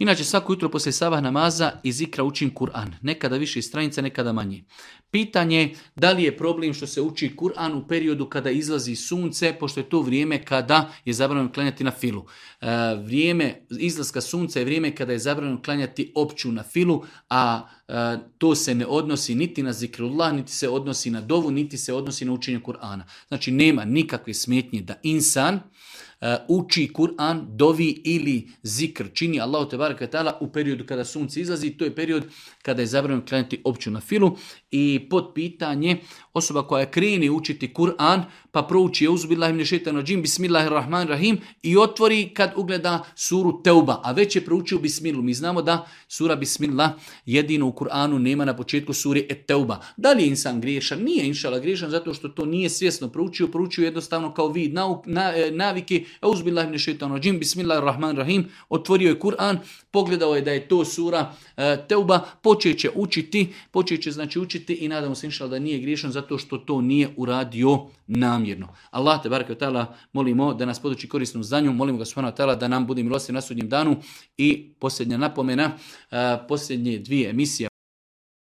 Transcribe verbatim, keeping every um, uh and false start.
Inače, svako jutro poslije sabah namaza i zikra učim Kur'an. Nekada više stranica, nekada manje. Pitanje da li je problem što se uči Kur'an u periodu kada izlazi sunce, pošto je to vrijeme kada je zabranjeno klanjati na filu. E, vrijeme izlaska sunca je vrijeme kada je zabranjeno klanjati opću na filu, a e, to se ne odnosi niti na zikrullah, niti se odnosi na dovu, niti se odnosi na učenje Kur'ana. Znači, nema nikakve smetnje da insan Uh, uči Kur'an, dovi ili zikr čini Allahu tebareke ve taala u periodu kada sunce izlazi. To je period kada je zabranjeno klanjati opću na filu. I pod pitanje, osoba koja krene učiti Kur'an pa prouči euzubillahi mine šejtanir radžim bismillahirrahmanirrahim i otvori kad ugleda suru Teuba, a već je proučio bismilu. Mi znamo da sura bismillah jedino u Kur'anu nema na početku suri et-Teuba. Da li je insan griješan? Nije inšala griješan zato što to nije svjesno proučio, proučio jednostavno kao vid nauk, na, navike. Euzubillahi mine šejtanir radžim bismillahirrahmanirrahim, otvorio je Kur'an, pogledao je da je to sura e, Teuba, počet će učiti, počet će znači učiti i nadamo se inšala da nije griješan zato što to nije uradio namjerno. Allah te bareke ve taala molimo da nas poduči korisnom znanju, molimo ga subhanahu wa taala da nam bude milostiv na sudnjem danu. I posljednja napomena, e, posljednje dvije emisije